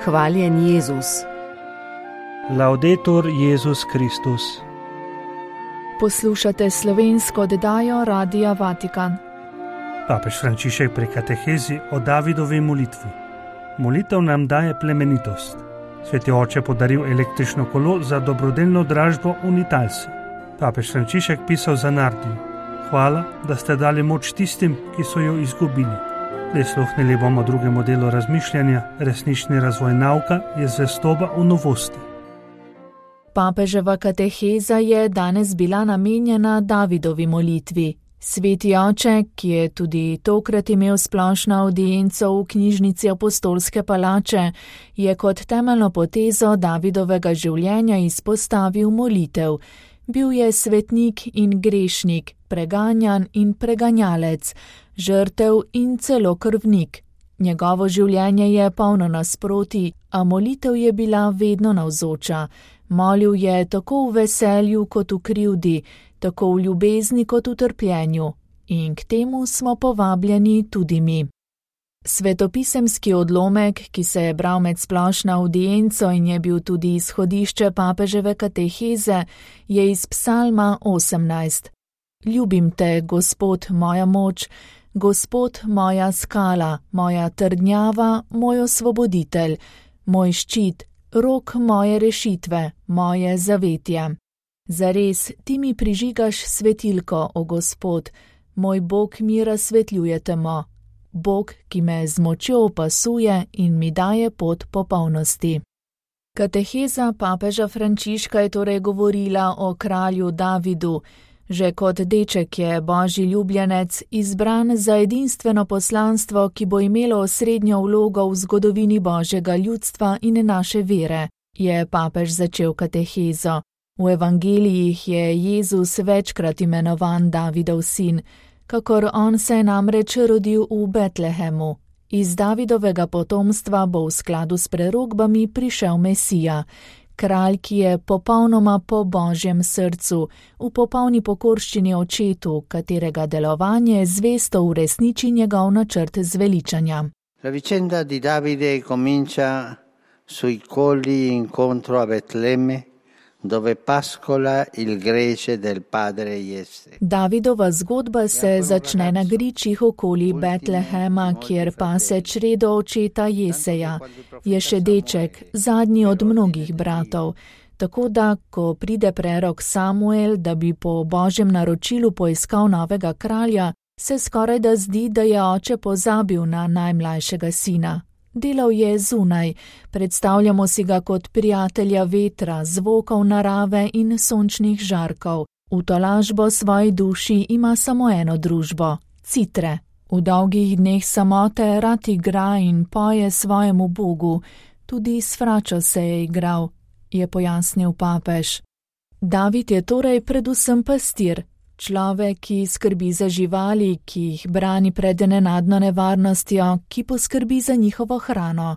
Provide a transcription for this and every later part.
Hvaljen Jezus. Laudetur Jezus Kristus. Poslušate slovensko oddajo Radia Vatikan. Papež Frančišek pri katehezi o Davidovi molitvi. Molitev nam daje plemenitost. Sveti oče podaril električno kolo za dobrodelno dražbo Unitalsi. Papež Frančišek pisal za Nardiju: hvala, da ste dali moč tistim, ki so jo izgubili. Prisluhnili bomo drugemu delu razmišljanja: resnični razvoj nauka je zvestoba v novosti. Papeževa kateheza je danes bila namenjena Davidovi molitvi. Sveti oče, ki je tudi tokrat imel splošno avdienco v knjižnici Apostolske palače, je kot temeljno potezo Davidovega življenja izpostavil molitev. Bil je svetnik in grešnik, preganjan in preganjalec, žrtev in celo krvnik. Njegovo življenje je polno nasprotij, a molitev je bila vedno navzoča. Molil je tako v veselju kot v krivdi, tako v ljubezni kot v trpljenju. In k temu smo povabljeni tudi mi. Svetopisemski odlomek, ki se je bral med splošno avdienco in je bil tudi izhodišče papeževe kateheze, je iz Psalma 18. Ljubim te, Gospod, moja moč, Gospod, moja skala, moja trdnjava, moj osvoboditelj, moj ščit, rok moje rešitve, moje zavetje. Zares, ti mi prižigaš svetilko, o Gospod, moj Bog mi razsvetljuje temo. Bog, ki me z močjo opasuje in mi daje pot popolnosti. Kateheza papeža Frančiška je torej govorila o kralju Davidu. Že kot deček je božji ljubljenec izbran za edinstveno poslanstvo, ki bo imelo osrednjo vlogo v zgodovini božjega ljudstva in naše vere, je papež začel katehezo. V evangelijih je Jezus večkrat imenovan Davidov sin, kakor on se je namreč rodil v Betlehemu. Iz Davidovega potomstva bo v skladu s prerokbami prišel Mesija, kralj, ki je popolnoma po božjem srcu, v popolni pokorščini očetu, katerega delovanje zvesto uresniči njegov načrt zveličanja. La vicenda di Davide comincia sui colli incontro a Betlemme, dove pascola il grece del padre Jesse. Davidova zgodba se začne na gričih okoli Betlehema, kjer pase čredo očeta Jeseja. Je še deček, zadnji od mnogih bratov. Tako da, ko pride prerok Samuel, da bi po božjem naročilu poiskal novega kralja, se skorajda zdi, da je oče pozabil na najmlajšega sina. Delal je zunaj, predstavljamo si ga kot prijatelja vetra, zvokov narave in sončnih žarkov. V tolažbo svoji duši ima samo eno družbo – citre. V dolgih dneh samote rad igra in poje svojemu Bogu, tudi s fračo se je igral, je pojasnil papež. David je torej predvsem pastir. Človek, ki skrbi za živali, ki jih brani pred nenadno nevarnostjo, ki poskrbi za njihovo hrano.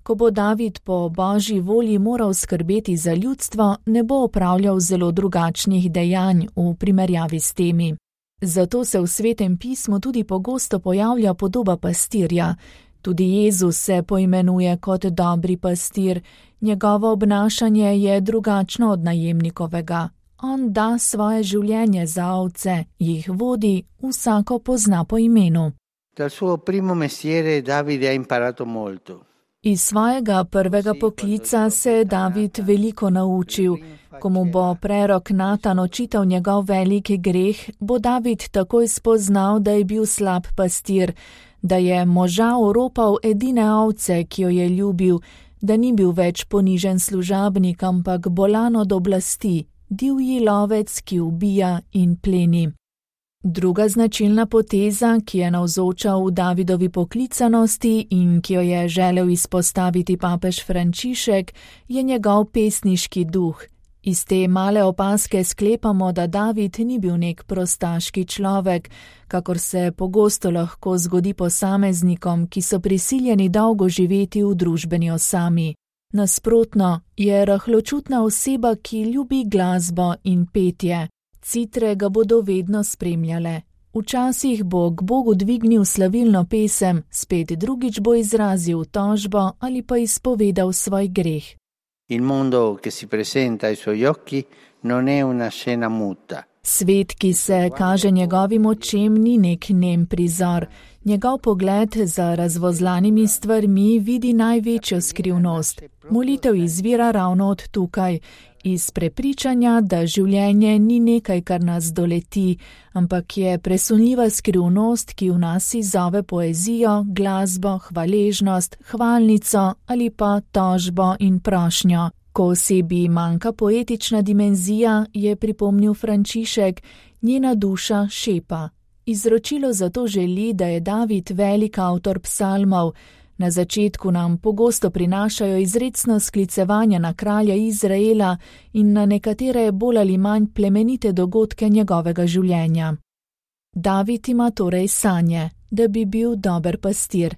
Ko bo David po božji volji moral skrbeti za ljudstvo, ne bo opravljal zelo drugačnih dejanj v primerjavi s temi. Zato se v Svetem pismu tudi pogosto pojavlja podoba pastirja. Tudi Jezus se poimenuje kot dobri pastir, njegovo obnašanje je drugačno od najemnikovega. On da svoje življenje za ovce, jih vodi, vsako pozna po imenu. Dal suo primo mestiere Davide ha imparato molto. Iz svojega prvega poklica se je David veliko naučil. Ko mu bo prerok Natan očital njegov veliki greh, bo David takoj spoznal, da je bil slab pastir, da je moža oropal edine ovce, ki jo je ljubil, da ni bil več ponižen služabnik, ampak bolan od oblasti, divji lovec, ki ubija in pleni. Druga značilna poteza, ki je navzoča v Davidovi poklicanosti in ki jo je želel izpostaviti papež Frančišek, je njegov pesniški duh. Iz te male opaske sklepamo, da David ni bil nek prostaški človek, kakor se pogosto lahko zgodi posameznikom, ki so prisiljeni dolgo živeti v družbeni osami. Nasprotno, je rahločutna oseba, ki ljubi glasbo in petje. Citre ga bodo vedno spremljale. Včasih bo k Bogu dvignil slavilno pesem, spet drugič bo izrazil tožbo ali pa izpovedal svoj greh. Il mondo che si presenta ai suoi occhi non è una scena muta. Svet, ki se kaže njegovim očem, ni nek nem prizor. Njegov pogled za razvozlanimi stvarmi vidi največjo skrivnost. Molitev izvira ravno od tukaj, iz prepričanja, da življenje ni nekaj, kar nas doleti, ampak je presunljiva skrivnost, ki v nas izzove poezijo, glasbo, hvaležnost, hvalnico ali pa tožbo in prošnjo. Ko osebi manjka poetična dimenzija, je pripomnil Frančišek, njena duša šepa. Izročilo zato želi, da je David velik avtor psalmov. Na začetku nam pogosto prinašajo izrecno sklicevanja na kralja Izraela in na nekatere bolj ali manj plemenite dogodke njegovega življenja. David ima torej sanje, da bi bil dober pastir.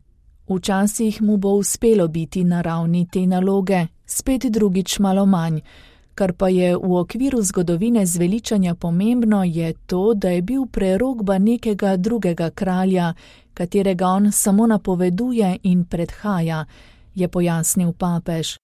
Včasih mu bo uspelo biti na ravni te naloge, spet drugič malo manj. Kar pa je v okviru zgodovine zveličanja pomembno, je to, da je bil prerokba nekega drugega kralja, katerega on samo napoveduje in predhaja, je pojasnil papež.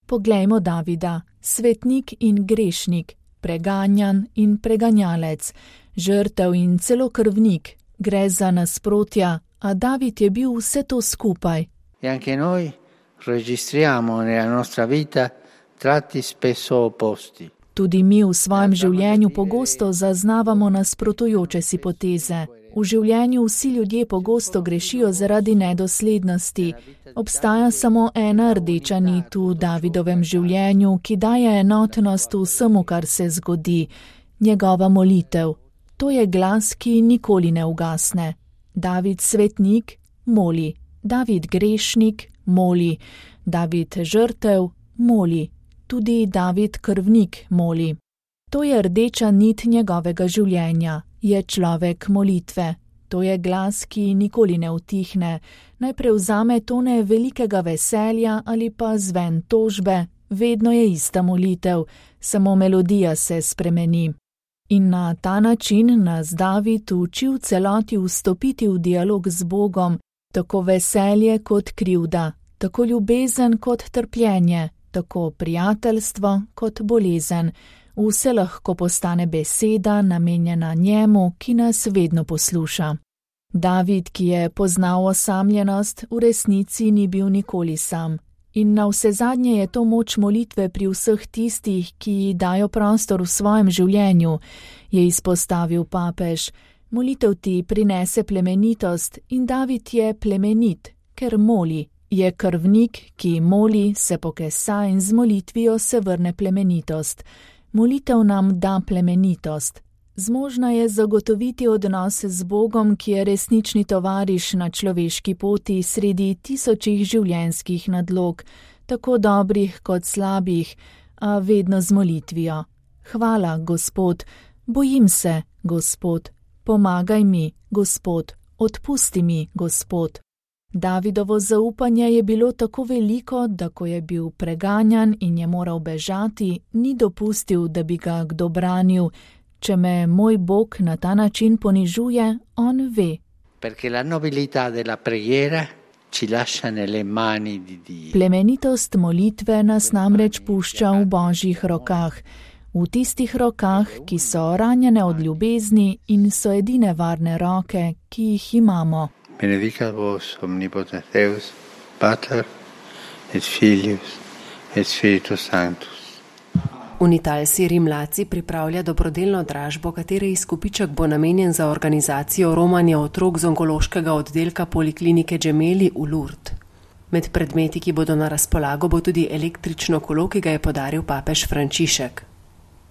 Poglejmo Davida, svetnik in grešnik, preganjan in preganjalec, žrtev in celo krvnik, gre za nasprotja, a David je bil vse to skupaj. E anche noi registriamo nella nostra vita tratti spesso opposti. Tudi mi v svojem življenju pogosto zaznavamo nasprotujoče si poteze. V življenju vsi ljudje pogosto grešijo zaradi nedoslednosti. Obstaja samo ena rdeča nit v Davidovem življenju, ki daje enotnost vsemu, kar se zgodi. Njegova molitev. To je glas, ki nikoli ne ugasne. David svetnik moli. David grešnik moli. David žrtev moli. Tudi David krvnik moli. To je rdeča nit njegovega življenja. Je človek molitve. To je glas, ki nikoli ne utihne. Naj prevzame tone velikega veselja ali pa zven tožbe. Vedno je ista molitev, samo melodija se spremeni. In na ta način nas David uči v celoti vstopiti v dialog z Bogom, tako veselje kot krivda, tako ljubezen kot trpljenje, tako prijateljstvo kot bolezen. Vse lahko postane beseda, namenjena njemu, ki nas vedno posluša. David, ki je poznal osamljenost, v resnici ni bil nikoli sam. In navsezadnje je to moč molitve pri vseh tistih, ki ji dajo prostor v svojem življenju, je izpostavil papež. Molitev ti prinese plemenitost in David je plemenit, ker moli. Je krvnik, ki moli, se pokesa in z molitvijo se vrne plemenitost. Molitev nam da plemenitost. Zmožna je zagotoviti odnose z Bogom, ki je resnični tovariš na človeški poti sredi tisočih življenjskih nadlog, tako dobrih kot slabih, a vedno z molitvijo. Hvala, Gospod, bojim se, Gospod, pomagaj mi, Gospod, odpusti mi, Gospod. Davidovo zaupanje je bilo tako veliko, da ko je bil preganjan in je moral bežati, ni dopustil, da bi ga kdo branil. Če me moj Bog na ta način ponižuje, on ve. Perché la nobilità della preghiera ci lascia nelle mani di Dio. Plemenitost molitve nas namreč pušča v Božjih rokah, v tistih rokah, ki so ranjene od ljubezni in so edine varne roke, ki jih imamo. Benedicat vos omnipotens Deus, Pater et Filius et Spiritus Sanctus. Unitalsi Rimlaci pripravlja dobrodelno dražbo, katere izkupiček bo namenjen za organizacijo romanja otrok z onkološkega oddelka Poliklinike Gemelli v Lourdes. Med predmeti, ki bodo na razpolago, bo tudi električno kolo, ki ga je podaril papež Frančišek.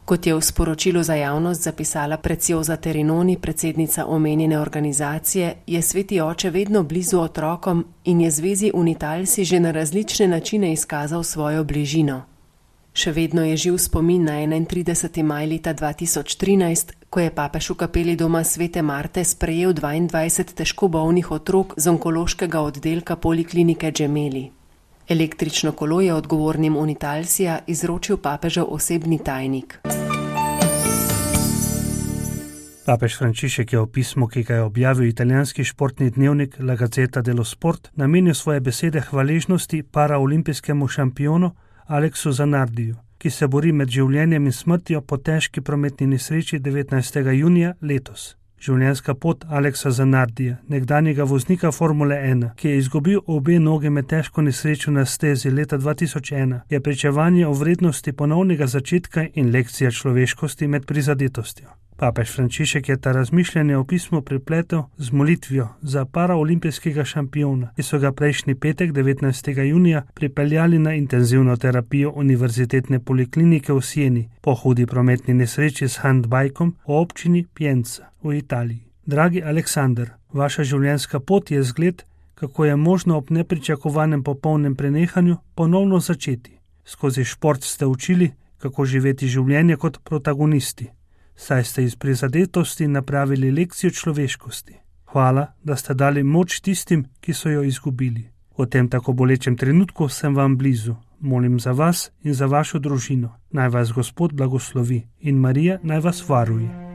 Kot je v sporočilu za javnost zapisala Preciosa Terinoni, predsednica omenjene organizacije, je Sveti Oče vedno blizu otrokom in je zvezi Unitalsi že na različne načine izkazal svojo bližino. Še vedno je živ spomin na 31. maj leta 2013, ko je papež v kapeli doma Svete Marte sprejel 22 težko bolnih otrok z onkološkega oddelka Poliklinike Gemelli. Električno kolo je odgovornim Unitalsija izročil papežev osebni tajnik. Papež Frančišek je v pismu, ki ga je objavil italijanski športni dnevnik La Gazzetta dello Sport, namenil svoje besede hvaležnosti paraolimpijskemu šampionu Aleksu Zanardiju, ki se bori med življenjem in smrtjo po težki prometni nesreči 19. junija letos. Življenjska pot Aleksa Zanardija, nekdanjega voznika Formule 1, ki je izgubil obe noge med težko nesrečo na stezi leta 2001, je pričevanje o vrednosti ponovnega začetka in lekcija človeškosti med prizadetostjo. Papež Frančišek je ta razmišljanje o pismu pripletel z molitvijo za paraolimpijskega šampiona, ki so ga prejšnji petek 19. junija pripeljali na intenzivno terapijo Univerzitetne poliklinike v Sieni po hudi prometni nesreči s handbajkom v občini Pienza v Italiji. Dragi Aleksander, vaša življenjska pot je zgled, kako je možno ob nepričakovanem popolnem prenehanju ponovno začeti. Skozi šport ste učili, kako živeti življenje kot protagonisti. Saj ste iz prizadetosti napravili lekcijo človeškosti. Hvala, da ste dali moč tistim, ki so jo izgubili. V tem tako bolečem trenutku sem vam blizu. Molim za vas in za vašo družino. Naj vas Gospod blagoslovi in Marija naj vas varuje.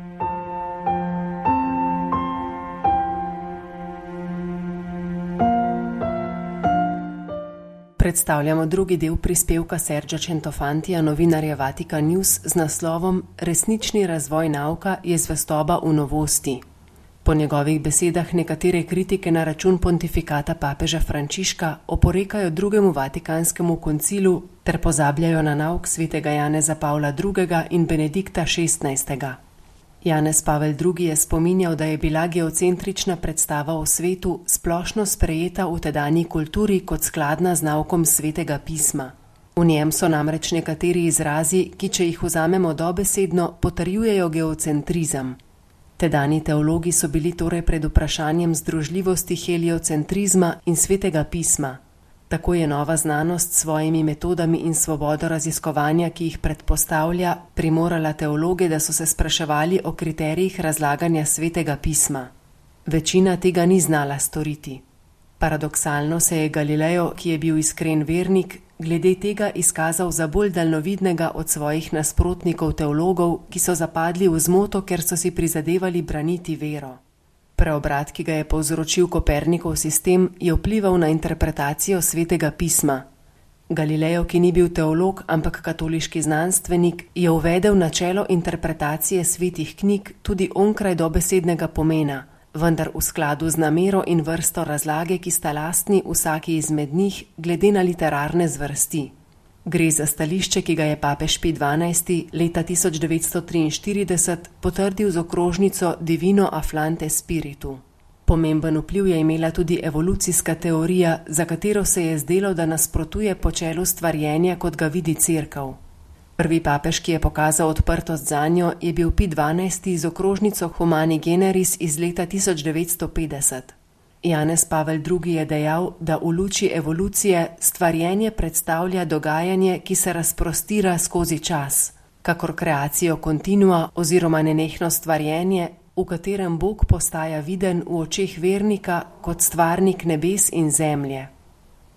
Predstavljamo drugi del prispevka Sergio Centofantija, novinarja Vatikan News, z naslovom Resnični razvoj nauka je zvestoba v novosti. Po njegovih besedah nekatere kritike na račun pontifikata papeža Frančiška oporekajo drugemu vatikanskemu koncilu ter pozabljajo na nauk svetega Janeza Pavla II. In Benedikta XVI. Janez Pavel II. Je spominjal, da je bila geocentrična predstava o svetu splošno sprejeta v tedanji kulturi kot skladna z naukom svetega pisma. V njem so namreč nekateri izrazi, ki, če jih vzamemo dobesedno, potrjujejo geocentrizem. Tedanji teologi so bili torej pred vprašanjem združljivosti heliocentrizma in svetega pisma. Tako je nova znanost s svojimi metodami in svobodo raziskovanja, ki jih predpostavlja, primorala teologe, da so se spraševali o kriterijih razlaganja svetega pisma. Večina tega ni znala storiti. Paradoksalno se je Galileo, ki je bil iskren vernik, glede tega izkazal za bolj daljnovidnega od svojih nasprotnikov teologov, ki so zapadli v zmoto, ker so si prizadevali braniti vero. Preobrat, ki ga je povzročil Kopernikov sistem, je vplival na interpretacijo svetega pisma. Galileo, ki ni bil teolog, ampak katoliški znanstvenik, je uvedel načelo interpretacije svetih knjig tudi onkraj dobesednega pomena, vendar v skladu z namero in vrsto razlage, ki sta lastni vsaki izmed njih glede na literarne zvrsti. Gre za stališče, ki ga je papež Pij XII. Leta 1943 potrdil z okrožnico Divino Afflante Spiritu. Pomemben vpliv je imela tudi evolucijska teorija, za katero se je zdelo, da nasprotuje počelu stvarjenja, kot ga vidi Cerkev. Prvi papež, ki je pokazal odprtost zanjo, je bil Pij XII. Z okrožnico Humani Generis iz leta 1950. Janez Pavel II. Je dejal, da v luči evolucije stvarjenje predstavlja dogajanje, ki se razprostira skozi čas, kakor kreacijo kontinua oziroma nenehno stvarjenje, v katerem Bog postaja viden v očeh vernika kot stvarnik nebes in zemlje.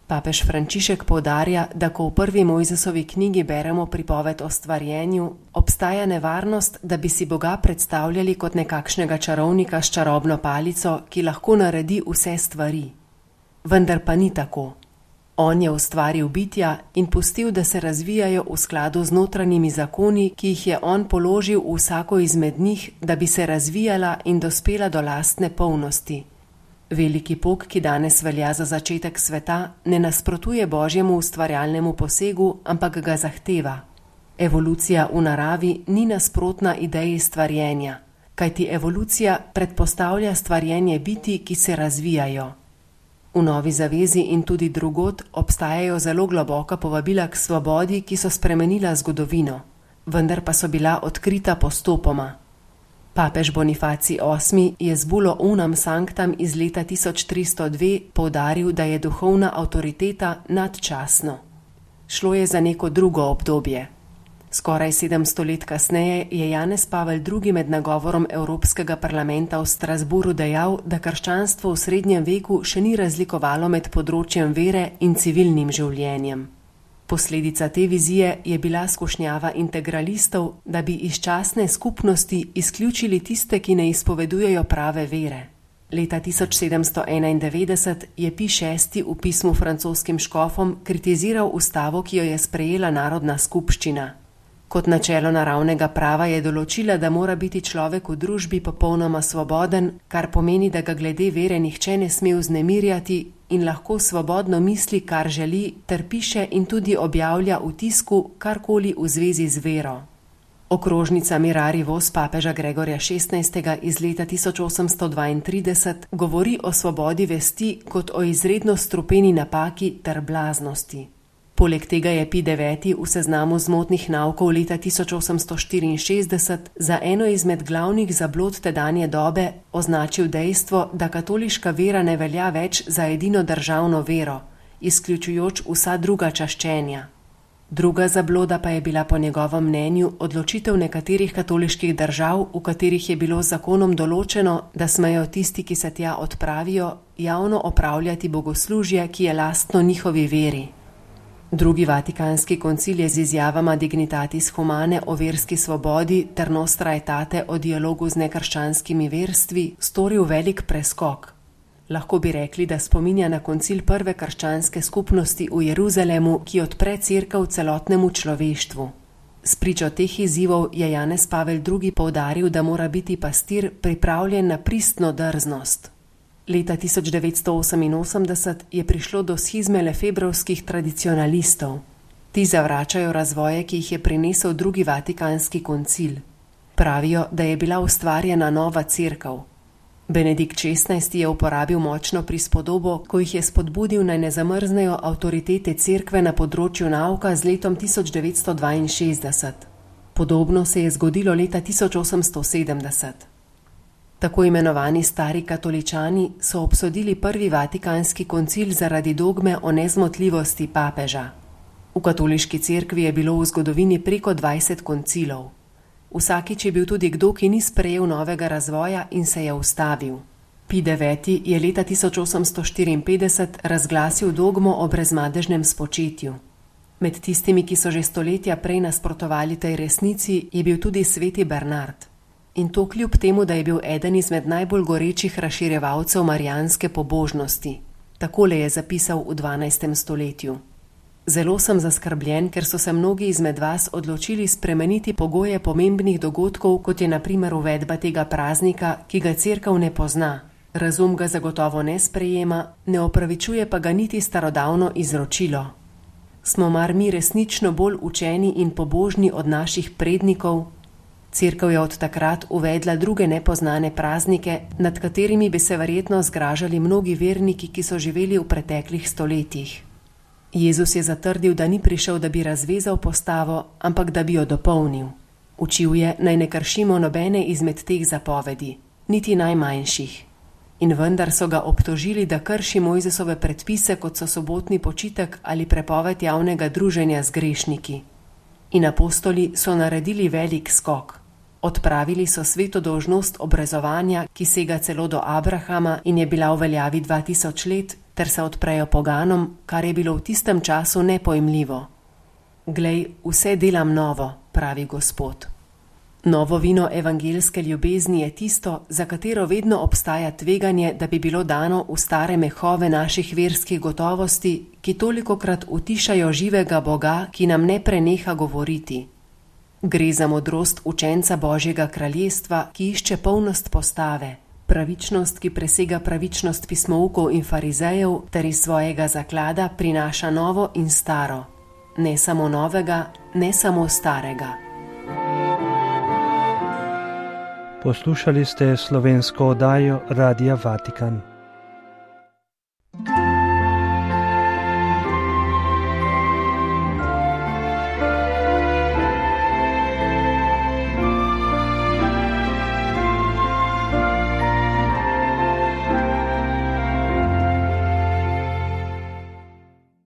Papež Frančišek poudarja, da ko v prvi Mojzesovi knjigi beremo pripoved o stvarjenju, obstaja nevarnost, da bi si Boga predstavljali kot nekakšnega čarovnika s čarobno palico, ki lahko naredi vse stvari. Vendar pa ni tako. On je ustvaril bitja in pustil, da se razvijajo v skladu z notranjimi zakoni, ki jih je on položil v vsako izmed njih, da bi se razvijala in dospela do lastne polnosti. Veliki pok, ki danes velja za začetek sveta, ne nasprotuje Božjemu ustvarjalnemu posegu, ampak ga zahteva. Evolucija v naravi ni nasprotna ideji stvarjenja, kajti evolucija predpostavlja stvarjenje bitij, ki se razvijajo. V Novi zavezi in tudi drugod obstajajo zelo globoka povabila k svobodi, ki so spremenila zgodovino, vendar pa so bila odkrita postopoma. Papež Bonifacij VIII. Je z bulo Unam Sanctam iz leta 1302 poudaril, da je duhovna avtoriteta nadčasno. Šlo je za neko drugo obdobje. Skoraj 700 let kasneje je Janez Pavel II. Med nagovorom Evropskega parlamenta v Strasburu dejal, da krščanstvo v srednjem veku še ni razlikovalo med področjem vere in civilnim življenjem. Posledica te vizije je bila skušnjava integralistov, da bi iz častne skupnosti izključili tiste, ki ne izpovedujejo prave vere. Leta 1791 je Pij VI v pismu francoskim škofom kritiziral ustavo, ki jo je sprejela Narodna skupščina. Kot načelo naravnega prava je določila, da mora biti človek v družbi popolnoma svoboden, kar pomeni, da ga glede vere nihče ne sme vznemirjati in lahko svobodno misli, kar želi, ter piše in tudi objavlja v tisku karkoli v zvezi z vero. Okrožnica Mirari Vos papeža Gregorja XVI. Iz leta 1832 govori o svobodi vesti kot o izredno strupeni napaki ter blaznosti. Poleg tega je Pij IX. V seznamu zmotnih naukov leta 1864 za eno izmed glavnih zablod tedanje dobe označil dejstvo, da katoliška vera ne velja več za edino državno vero, izključujoč vsa druga čaščenja. Druga zabloda pa je bila po njegovem mnenju odločitev nekaterih katoliških držav, v katerih je bilo z zakonom določeno, da smejo tisti, ki se tja odpravijo, javno opravljati bogoslužje, ki je lastno njihovi veri. Drugi vatikanski koncil je z izjavama Dignitatis Humane o verski svobodi ter Nostra Aetate o dialogu z nekrščanskimi verstvi storil velik preskok. Lahko bi rekli, da spominja na koncil prve krščanske skupnosti v Jeruzalemu, ki odpre cerkev celotnemu človeštvu. Spričo teh izzivov je Janez Pavel II. Poudaril, da mora biti pastir pripravljen na pristno drznost. Leta 1988 je prišlo do schizme lefebrovskih tradicionalistov. Ti zavračajo razvoje, ki jih je prinesel drugi vatikanski koncil. Pravijo, da je bila ustvarjena nova cerkev. Benedikt XVI. Je uporabil močno prispodobo, ko jih je spodbudil, naj ne zamrznejo avtoritete cerkve na področju nauka z letom 1962. Podobno se je zgodilo leta 1870. Tako imenovani stari katoličani so obsodili prvi vatikanski koncil zaradi dogme o nezmotljivosti papeža. V katoliški cerkvi je bilo v zgodovini preko 20 koncilov. Vsakič je bil tudi kdo, ki ni sprejel novega razvoja in se je ustavil. Pij IX. Je leta 1854 razglasil dogmo o brezmadežnem spočetju. Med tistimi, ki so že stoletja prej nasprotovali tej resnici, je bil tudi sveti Bernard. In to kljub temu, da je bil eden izmed najbolj gorečih razširjevalcev marijanske pobožnosti. Takole je zapisal v 12. stoletju. Zelo sem zaskrbljen, ker so se mnogi izmed vas odločili spremeniti pogoje pomembnih dogodkov, kot je na primer uvedba tega praznika, ki ga cerkev ne pozna. Razum ga zagotovo ne sprejema, ne opravičuje pa ga niti starodavno izročilo. Smo mar mi resnično bolj učeni in pobožni od naših prednikov? Cerkev je od takrat uvedla druge nepoznane praznike, nad katerimi bi se verjetno zgražali mnogi verniki, ki so živeli v preteklih stoletjih. Jezus je zatrdil, da ni prišel, da bi razvezal postavo, ampak da bi jo dopolnil. Učil je, naj ne kršimo nobene izmed teh zapovedi, niti najmanjših. In vendar so ga obtožili, da krši Mojzesove predpise, kot so sobotni počitek ali prepoved javnega druženja z grešniki. In apostoli so naredili velik skok. Odpravili so sveto dolžnost obrezovanja, ki sega celo do Abrahama in je bila v veljavi 2000 let, ter se odprejo poganom, kar je bilo v tistem času nepojmljivo. Glej, vse delam novo, pravi Gospod. Novo vino evangeljske ljubezni je tisto, za katero vedno obstaja tveganje, da bi bilo dano v stare mehove naših verskih gotovosti, ki tolikokrat utišajo živega Boga, ki nam ne preneha govoriti. Gre za modrost učenca Božjega kraljestva, ki išče polnost postave, pravičnost, ki presega pravičnost pismoukov in farizejev, ter iz svojega zaklada prinaša novo in staro. Ne samo novega, ne samo starega. Poslušali ste slovensko oddajo Radia Vatikan.